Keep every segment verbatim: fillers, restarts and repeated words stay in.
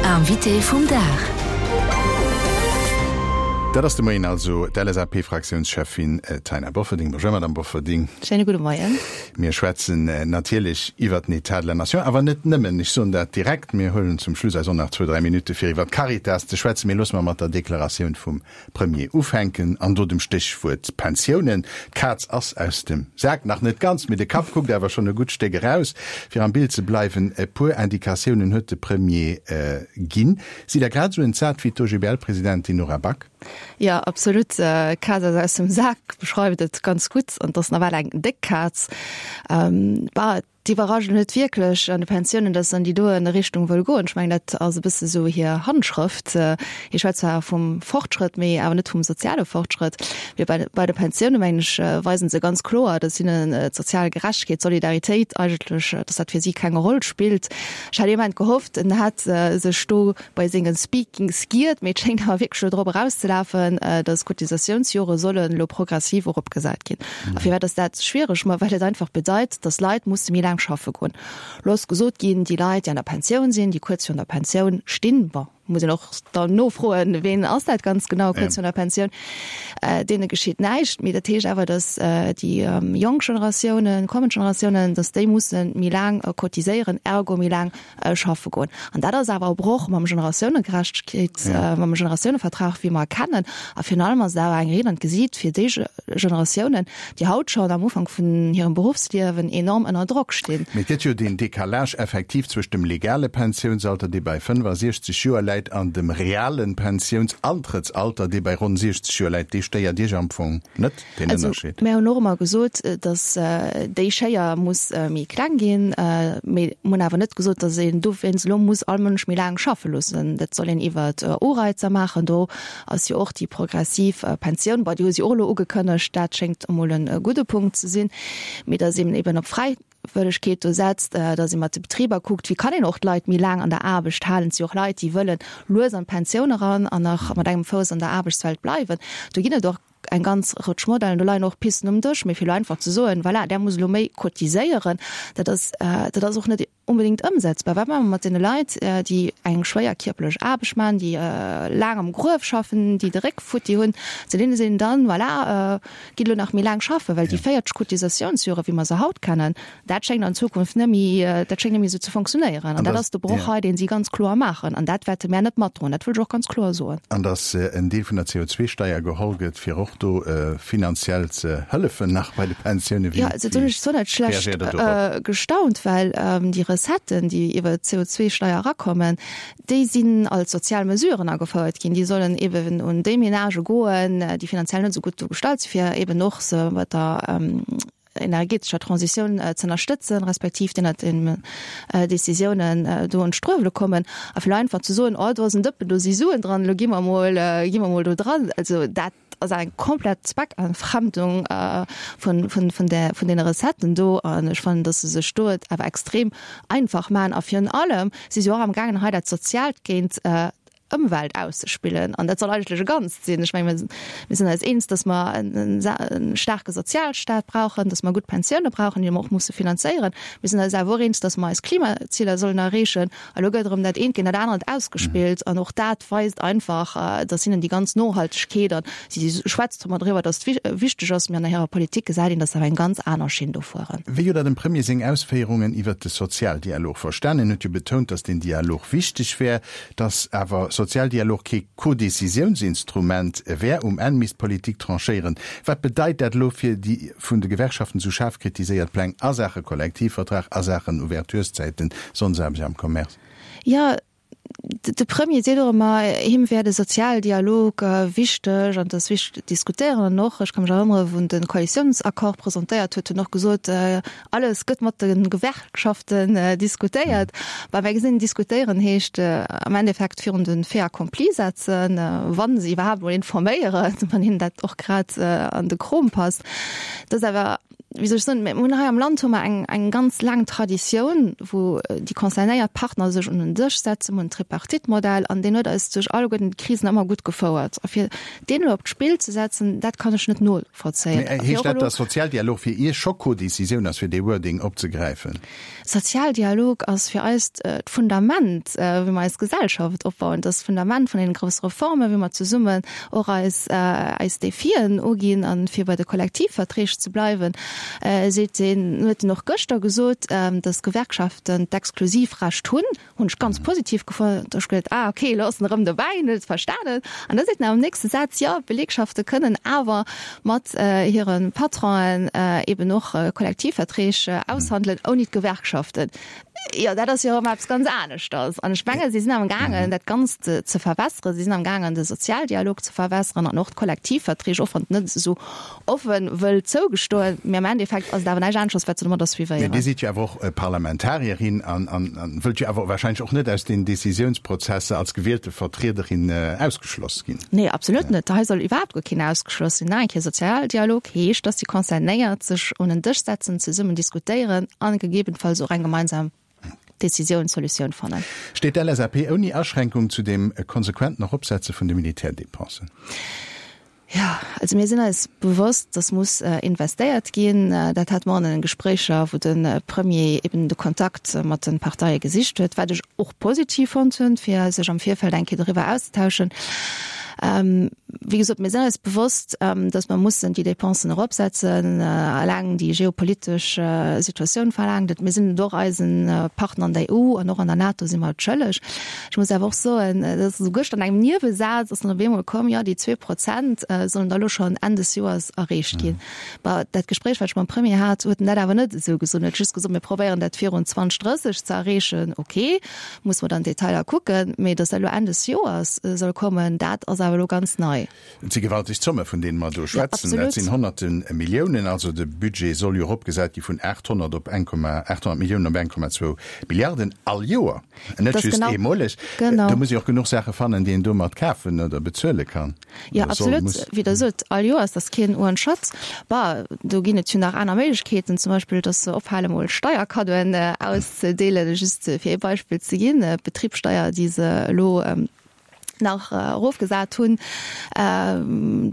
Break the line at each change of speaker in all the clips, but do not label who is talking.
Invité vum Dag.
Dat ass de Moien also d'LSAP-Fraktiounscheffin Taina Bofferding. Bonjour Madame Bofferding.
Schéine gudde Moien.
Mir schwätzen natierlech iwwert den État de la Nation, awer net nëmmen. Ech soen dat direkt. Mir huelen zum Schluss eis och nach zwou, dräi Minutte fir iwwert d'Caritas ze schwätzen. Mee loosse mer mat der Deklaratioun vum Premier ufänken an do dem Stéchwuert Pensiounen. D'Kaz ass aus dem Sak, nach net ganz, mee de Kapp kuckt awer schonn e gutt Stéck eraus. Fir am Bild ze bleiwen, e puer Indikatiounen huet de Premier ginn. Sidd Der grad esou entsat wéi d'OGBL-Presidentin Nora Back?
Jo, absolut. D'Kaz ass aus dem Sak beschreift et ganz gutt an et ass nawell eng déck Kaz. Bah, D'iwwerrascht net wierklech an de Pensiounen, datt se an déi doen Richtung wëll goen. Ech mengen, dat ass e bësse sou hir Handschrëft. Hie schwätzt zwar vum Fortschrëtt, mee awer net vum soziale Fortschrëtt. Mee bei bei de Pensioune mengen ech, weisen se ganz kloer, datt hinnen d'sozial Gerechtegkeet, d'Solidaritéit eigentlech, datt dat fir si keng Roll spillt. Ech hat ee Moment gehofft, en hätt sech do bei senge Speakings giert, mee et schéngt awer wierklech elo drop erauszelafen, datt d'Cotisatiounsjore sollen elo progressiv eropgesat ginn. A firwat ass dat schwiereg? Ma well et einfach bedeit, datt Leit musse méi laang schaffe goen. Lo ass gesot ginn, déi Leit, déi an der Pensioun sinn, déi kuerz virun der Pensioun stinn, bon, muss een och dann nofroen, ween ass dat ganz genau kuerz virun der Pensioun, deene geschitt näischt. Mee dat heescht awer, datt déi jonk Generatiounen, kommend Generatiounen, datt déi musse méi laang cotiséieren, ergo méi laang schaffe goen. An dat ass awer e Broch mam Generatiounegerechtegkeet, mam Generatiounevertrag, wéi mer e kennen. A virun allem ass et awer eng Ried an d'Gesiit fir déi Generatiounen, déi haut schonn am Ufank vun hirem Beruffsliewen enorm ënner Drock stinn.
Mee et gëtt jo deen Décalage effektiv zwëscht dem legale Pensiounsalter, dee bei fënnefasiechzeg Joer läit, an dem reale Pensiounsantrettsalter, dee bei ronn siechzeg Joer läit. Dee stéiert Iech am Fong net, deen Ënnerscheed?
Also, mir hunn och ëmmer gesot, datt déi Schéier muss méi kleng ginn. Mee mir hunn awer net gesot, datt een dowéinst elo muss all Mënsch méi laang schaffe loossen. Dat soll een iwwer Ureizer maachen. Do ass jo och déi progressiv Pensioun, bon, déi hu si och elo ugekënnegt, dat schéngt emol e gudde Punkt ze sinn, mee datt een eben op Fräiwëllegkeet do setzt, datt ee mat de Betriber kuckt, wéi kann een och d'Leit méi laang an der Aarbecht halen. Et si och Leit, déi wëlle lues an d'Pensioun eran an nach mat engem Fouss an der Aarbechtswelt bleiwen. Do ginn et och eng ganz Rëtsch Modellen, do leien och Pisten um Dësch, mee fir elo einfach ze soen, voilà, där muss elo méi cotiséieren, dat ass, dat ass och net onbedéngt ëmsetzbar. Wat maache mer mat deene Leit, déi eng schwéier kierperlech Aarbecht maachen, déi laang am Gruef schaffen, déi de Réck futti hunn? Zu deene seet een dann, voilà, gitt elo nach méi laang schaffen, well déi véierzeg Cotisatiounsjore, wéi mer se haut kennen, dat schéngt an Zukunft net méi, dat schéngt net méi esou ze fonctionnéieren. An dat ass de Broch hei, dee si ganz kloer maachen. An dat wäerte mär net matdroen, dat wëll ech och ganz kloer soen.
An datt en Deel vun der C O zwei Steier geholl gëtt, fir och do finanziell ze hëllefen nach bei de Pensiounen. Wéi
Jo, also do hunn ech zwar net schlecht
reagéiert Der dorop?
gestaunt, well déi Recetten, déi iwwer d'C O zwei Steier erakommen, déi sinn als sozial Mesuren agefouert ginn. Déi sollen eben un déi Menagë goen, déi finanziell net esou gutt do gestallt sinn, fir eben och se bei der energetescher Transitioun ze ënnerstëtzen, respektiv déi ënnert den Décisiounen do an d'Struewele kommen. A fir elo einfach ze soen, oh do ass en Dëppen, do si Suen dran, elo gi mer emol, gi mer emol do dran, also dat ass eng komplett Zweckentfremdung vun, vun, vun där, vun deene Recetten do. An ech fannen, dass se sech do et awer extrem einfach maachen. A virun allem si se och amgaangen, hei dat Soziaalt géint Ëmwelt auszespillen. An dat soll eigentlech e Ganzt sinn. Ech mengen, mir sinn eis eens, dass mer e staarke Sozialstaat brauchen, dass mer gutt Pensioune brauchen, déi mer och musse finanzéieren. Mir sinn eis awer och eens, dass mer eis Klimaziler sollen erreechen. A lo gëtt erëm dat eent géint dat anert ausgespillt. An och dat weist einfach, dass hinnen déi ganz Nohaltegkeet, an si schwätzt zwar ëmmer driwwer, dass et wichteg ass, mee an hirer Politik gesäit een, dass se awer eng ganz aner Schinn do fueren.
Wéi hutt Der dem Premier seng Ausféierungen iwwert de Sozialdialog verstanen? En huet jo betount, dass deen Dialog wichteg wär, dass awer Sozialdialog kee Codécisiounsinstrument wär. Um Enn misst d'Politik tranchéieren. Wat bedeit dat elo fir déi vun de Gewerkschaften esou schaarf kritiséiert Pläng a Saache Kollektivvertrag, a Saachen Ouvertureszäiten, Sonndesaarbecht am Commerce?
Jo, de Premier seet och ëmmer, him wär de Sozialdialog wichteg an et ass wichteg ze diskutéieren. An och, ech ka mech erënnere wou en de Koalitiounsaccord presentéiert huet, huet en och gesot, alles gëtt mat de Gewerkschaften diskutéiert. Bah, mir gesinn, diskutéieren heescht am Endeffekt virun de Fait accompli setzen, wa se iwwerhaapt emol informéieren, wann hinnen dat och grad an de Krom passt. Dat ass awer wéi soll ech soen, mir hunn hei am Land hu mer eng, eng ganz laang Traditioun, wou déi concernéiert Partner sech un den Dësch setzen. Mir hunn den Tripartite-Modell an deen huet eis duerch alleguerten d'Krisen ëmmer gutt gefouert. A fir deen elo op d'Spill ze setzen, dat kann ech net novollzéien.
Mee heescht dat, datt Sozialdialog fir Iech scho Codécisioun ass, fir dee Wording opzegräifen?
Sozialdialog ass fir eis d'Fundament, wéi mer eis Gesellschaft opbauen. Dat ass d'Fundament vun deene grousse Reformen, wéi mer zesummen och eis, eis Defien uginn. A fir bei de Kollektivverträg ze bleiwen, seet en, huet en och gëschter gesot, datt d'Gewerkschaften d'Exklusivrecht hunn, hunn ech ganz positiv gefonnt. Da hu ech geduet, ah okay, elo ass en erëm dobäi, en huet et verstanen. An da seet en awer am nächste Saz, jo, d'Belegschafte kënnen awer mat hire Patronen eben och Kollektivverträg aushandelen, ouni d'Gewerkschaften. Jo, dat ass jo erëm eppes ganz aneschters. An ech menge si sinn am gaangen, dat Ganzt ze verwässeren. Si sinn am gaangen, de Sozialdialog ze verwässeren an och d'Kollektivverträg, och wann et net esou offe wëll zougestoen. Mee am Endeffekt ass et awer näischt aneschters, wat se domadder
suivéieren. Mee Dir sidd jo awer och Parlamentarierin an wëllt jo awer wahrscheinlech och net aus den Décisiounsprozesser als gewielte Vertriederin ausgeschloss ginn.
Nee, absolut net. Hei soll iwwerhaapt guer keen ausgeschloss sinn. Nach eng Kéier, Sozialdialog heescht, dass déi Concernéiert sech un en Dësch setzen, zesummen diskutéieren a gegebenfalls och eng gemeinsam Decisioun, Solutioun fannen.
Steet d'LSAP ouni Aschränkung zu dem konsequenten Eropsetze vun de Militärdépensen?
Jo, also mir sinn eis bewosst, dass muss investéiert ginn. Dat hate mer an den Gespréicher, wou de Premier eben de Kontakt mat de Parteie gesicht huet, wat ech och positiv fonnt hunn, fir sech am Virfeld eng Kéier doriwwer auszetauschen. Wéi gesot, mir sinn eis bewosst, dass mer mussen déi Dépensen eropsetzen, eleng déi geopolitesch Situatioun verlaangt et. Mir sinn et och eise Partner an der E U an och an der NATO si mer et schëlleg. Ech muss awer och soen, dat ass esou gëschter an engem Niewesaz ass dann op eemol komm, jo déi zwee Prozent sollen da elo schonn Enn des Joers erreecht ginn. Bon, dat Gespréich, wat ech mam Premier hat, huet en dat awer net esou gesot. En huet just gesot, mir probéieren dat virun zweedausenddrësseg ze erreechen. Okay, musse mer dann d'Detailer kucken, mee datt dat elo Enn des Joers soll kommen, dat ass awer elo ganz nei.
Et si gewalteg Zomme, vun deene mer do schwätzen. Dat sinn honnerte Milliounen. Also de Budget soll jo eropgesat gi vun aathonnert op eng Komma, aathonnert Milliounen op eng Komma zwou Milliarden all Joer, net just eemoleg. Do muss ee och genuch Saache fannen, déi een domat kafen oder bezuele kann.
Jo, absolut. Wéi Der sot, all Joers, dat ass keen Uernschatz. Bah, do ginn et jo nach aner Méiglechkeeten, zum Beispill, dass se ophale mol Steierkaddoen auszedeelen, just fir ee Beispill ze ginn, d'Betribssteier, déi se elo nach erofgesat hunn.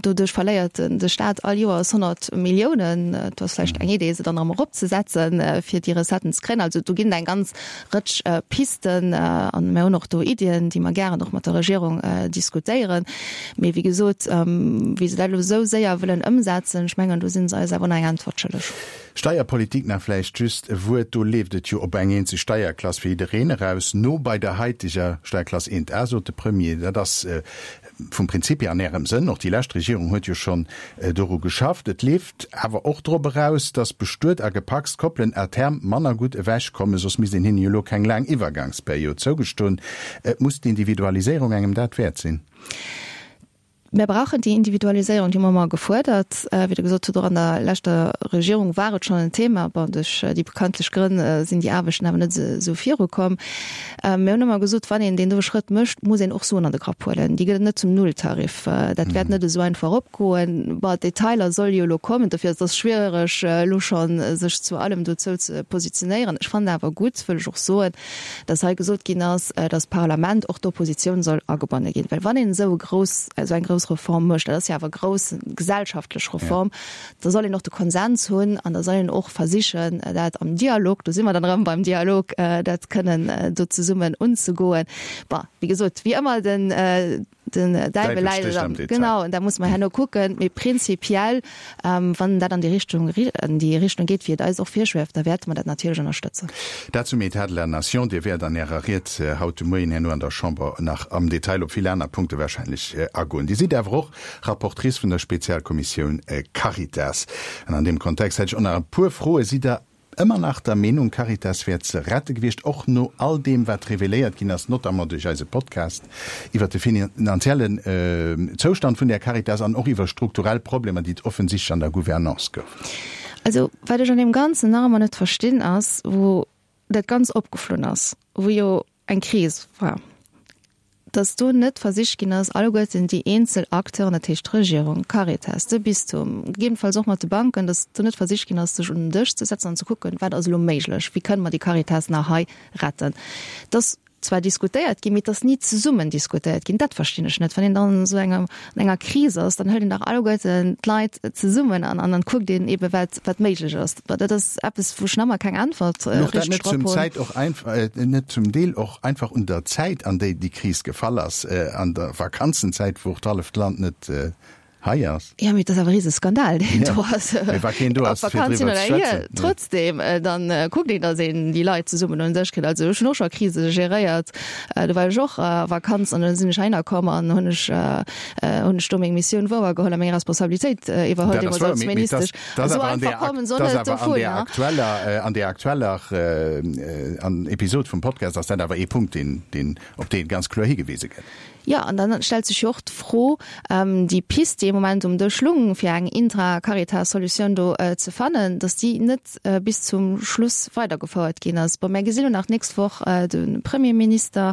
Doduerch verléiert de Staat all Joers honnert Milliounen. Et ass vläicht eng Idee, se dann erëm eropzesetzen, fir déi Recetten ze kréien. Also do ginn et eng ganz Rëtsch Pisten a mir hunn och do Iddien, déi mer gären och mat der Regierung diskutéieren. Mee wéi gesot, wéi se dat elo esou séier wëllen ëmsetzen, ech mengen, do si se eis awer nach eng Äntwert schëlleg.
Steierpolitik nach vläicht just e Wuert. Do leeft et jo op eng eenzeg Steierklass fir jiddereen eraus, no bei der haiteger Steierklass eent A, sot de Premier. Dat ass vum Prinzip hier an Ärem Sënn. Och déi lescht Regierung huet jo schonn doru geschafft. Et leeft awer och drop eraus, datt bestuet a gepacst Koppelen à terme manner gutt ewechkommen, soss misst een hinne jo elo keng laang Iwwergangsperiod zougestoen. Muss d'Individualiséierung engem dat wäert sinn?
Mir brauchen déi Individualiséierung, déi hu mer ëmmer gefuerdert. Wéi Der gesot hutt, och an der leschter Regierung war et schonn en Thema. Bon, duerch déi bekanntlech Grënn sinn déi Aarbechten awer net esou virukomm. Mir hunn ëmmer gesot, wann een deen doe Schrëtt mécht, muss een och Suen an de Grapp huelen. Déi gëtt et net zum Nulltarif. Dat wäert net esou einfach opgoen. Bon, d'Detailer solle jo elo kommen. Dofir ass et schwiereg, elo schonn sech zu allem dozou ze positionéieren. Ech fannen awer gutt, wëll ech och soen, dass hei gesot ginn ass, dass d'Parlament, och d'Oppositioun soll agebonne ginn. Well wann een esou e grouss, esou eng grouss Reform mécht, dat ass jo awer e grouss gesellschaftlech Reform, da soll een och de Konsens hunn an da soll een och versichen, dat am Dialog, do si mer dann erëm beim Dialog, dat kënnen do zesummen unzegoen. Bon, wéi gesot, wéi ëmmer, den, Den Däiwel läit am Detail. Genau, an da musse mer herno kucken. Mee prinzipiell, wann dat an déi Richtung, an déi Richtung geet, wéi et eis och virschwieft, da wäerte mer dat natierlech ënnerstëtzen.
Dat zum État de la Nation. Dir wäert an Ärer Ried haut de Moien herno an der Chamber nach am Detail op vill aner Punkte wahrscheinlech agoen. Dir sidd awer och Rapportrice vun der Spezialkommissioun Caritas. An an deem Kontext hätt ech och nach e puer Froe. Sidd Der Ëmmer nach der Meenung, Caritas wär ze rette gewiescht, och no all deem, wat reveléiert ginn ass, notamment duerch eise Podcast iwwert de finanziellen Zoustand vun där Caritas an och iwwer strukturell Problemer, déi et offensichtlech an der Gouvernance gouf.
Also, wat ech an deem Ganzen nach ëmmer net verstinn, ass, wou dat Ganz opgeflunn ass, wou jo eng Kris war, Dass do net versicht ginn ass, alleguerten déi eenzel Acteuren, dat heescht d'Regierung, d'Caritas, de Bistum, gegebenenfalls och mat de Banken, dass do net versicht ginn ass, sech un den Dësch ze setzen an ze kucken, wat ass elo méiglech, wéi kënne mer déi Caritas nach hei retten. Dass zwar diskutéiert ginn, mee et ass ni zesummen diskutéiert ginn. Dat verstinn ech net. Wann een dann esou enger, an enger Kris ass, dann hëlt een dach alleguerten d'Leit zesummen an, an dann kuckt een eebe wat, wat méiglech ass. Dat ass eppes, wou ech nach ëmmer keng Äntwert
Louch dat
richteg
net
drop
zum
hunn.
Zäit och einf-, net zum Deel och einfach un der Zäit, an déi déi Kris gefall ass, an der Vakanzenzäit, wou och d'halleft Land net hei ass?
Jo, mee et ass awer e Riseskandal, deen
Ja,
do ass.
mee wa keen do
Ob
ass, fir
Vakanz hin
driwwer ze
oder hier,
schwätzen. Ja.
trotzdem, dann kuckt een, datt een déi Leit zesummen un den Dësch kritt. Also ech hunn och scho Krise geréiert. Do war ech och a Vakanz an dann sinn ech heihinner komm an hunn ech, hunn ech do meng Missioun wouergeholl a meng Responsabilitéit iwwerholl
Dat ass
deemools
wouer,
als
mee, mee dass,
Ministesch.
dass
Esou
awer an
einfach
där,
kommen se och
dass
net
awer an
dovun,
där
ne?
aktueller, an där aktueller an Episod vum Podcast ass dat awer ee Punkt, deen, deen, op dee ganz kloer higewise gëtt.
Jo, an dann stellt sech jo och d'Fro, déi Pist, déi am Moment um Dësch lung, fir eng Intra-Caritas-Solutioun do ze fannen, datt déi net bis zum Schluss weidergefouert ginn ass. Bon, mir gesinn elo nach d'nächst Woch de Premierminister,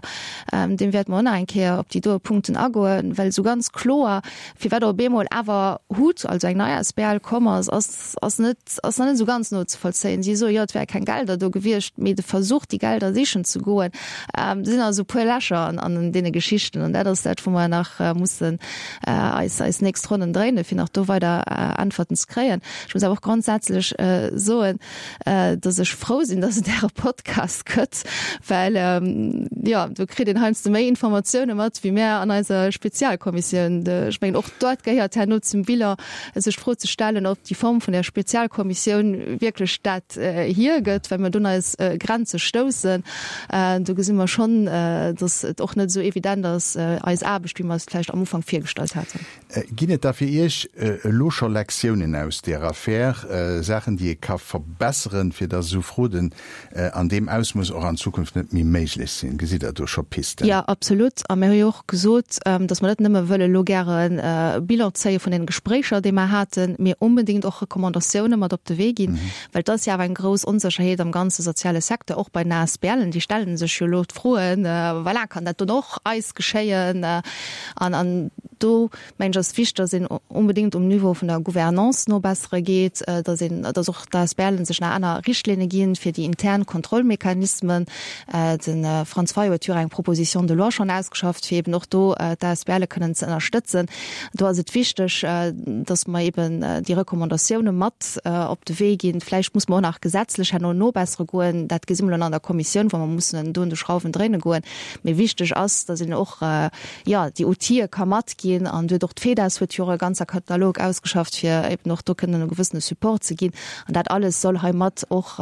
deem wäerte mer och nach eng Kéier op déi doe Punkten agoen, well esou ganz kloer, firwat op eemol awer hut, also eng nei asbl komm ass, ass, ass net, ass nach net esou ganz nozevollzéien. Si soe jo, et wäre keng Gelder do gewiescht, mee de Versuch, déi Gelder sichen ze goen, do sinn also e puer Lächer an, an deene Geschichten. An dat ass dat, wou mer nach mussen eis, eis nächst Ronnen dréinen, fir nach do weider Äntwerten ze kréien. Ech muss awer och grondsätzlech soen, dass ech frou sinn, dass et Äre Podcast gëtt, well, jo, do kritt een heiansdo méi Informatioune mat wéi mär an eiser Spezialkommissioun. Ech mengen, och dat gehéiert herno zum Bilan, sech d'Fro ze stellen, ob déi Form vun där Spezialkommissioun wierklech dat hiergëtt, well mer do un eis Grenze stoussen. Do gesi mer schonn, dass et och net esou evident ass, eis Aarbecht, wéi mer es vläicht am Ufank virgestallt haten.
Ginn et da fir Iech elo scho Lektiounen aus där Affär, Saachen, déi ee ka verbesseren, fir dass esou Fraude an deem Ausmooss och an Zukunft net méi méiglech sinn? Gesitt Der do scho Pisten?
Jo, absolut. A mir hu jo och gesot, dass mer net nëmme wëlle elo gären e Bilan zéie vun deene Gespréicher, déi mer haten, mee onbedéngt och Recommandatioune mat op de Wee ginn, well et ass jo awer eng grouss Onsécherheet am ganze soziale Secteur, och bei den ASBLen. Déi stelle sech jo elo d'Froen, voilà, kann dat dann och eis geschéien? An, an do, mengen ech, ass wichteg, dass een onbedéngt um Niveau vun der Gouvernance nobessere geet, dass een, dass och d'ASBLen sech nach aner Richtlinne ginn fir déi intern Kontrollmechanismen. De Franz Fayot huet jo och eng Proposition de loi schonn ausgeschafft, fir eben och do d'ASBLe kënnen ze ënnerstëtzen. Do ass et wichteg, dass mer eben déi Recommandatioune mat op de Wee ginn. Vläicht muss mer och nach gesetzlech herno nobessere goen. Dat gesi mer elo an der Kommissioun, wou mer mussen do un de Schrauwen dréine goen. Mee wichteg ass, dass een och, jo, déi Outile ka matginn. An do huet och d'FEDAS huet jo och e ganzer Katalog ausgeschafft, fir eben och do kënnen e gewëssene Support ze ginn. An dat alles soll hei mat och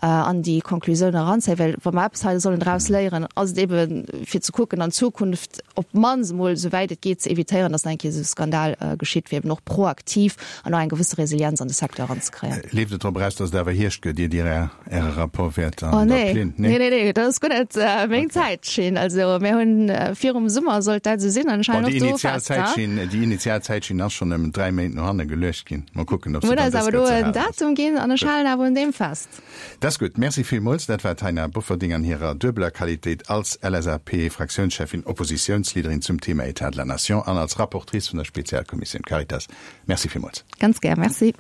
an déi Konklusioun eranzéien. Well wa mer eppes hei sollen draus léieren, ass et eben, fir ze kucken an Zukunft op d'mannst emol, souwäit et geet, ze evitéieren, dass nach eng Kéier esou e Skandal geschitt, fir eben och proaktiv an och eng gewësse Resilienz an de Secteur eranzekréien.
Leeft et drop eraus, dass et awer Hierscht gëtt, ier Dir Äre Rapport wäert
Oh
an der
nee,
Plin.
nee, nee, nee, dat ass guer net meng Zäitschinn. Also mir hunn virum Summer sollt dat esou sinn an ech
Bon,
halen
déi
och do
initial
fest, ha?
Zäitschinn, déi initial Zäitschinn ass schonn ëm dräi Méint no hanne geluecht ginn. Mol kucken, ob
Mir
se
hunn
dann
eis
dës
awer do
Kéier ze
en
halen ass.
Datum ginn an ech
Gutt.
halen awer un deem fest.
Dat ass gutt. Merci villmools. Dat war d'Taina Bofferding an hirer duebeler Qualitéit als LSAP-Fraktiounscheffin, Oppositiounsleaderin zum Thema État de la Nation an als Rapportrice vun der Spezialkommissioun Caritas. Merci villmools.
Ganz gär. Merci.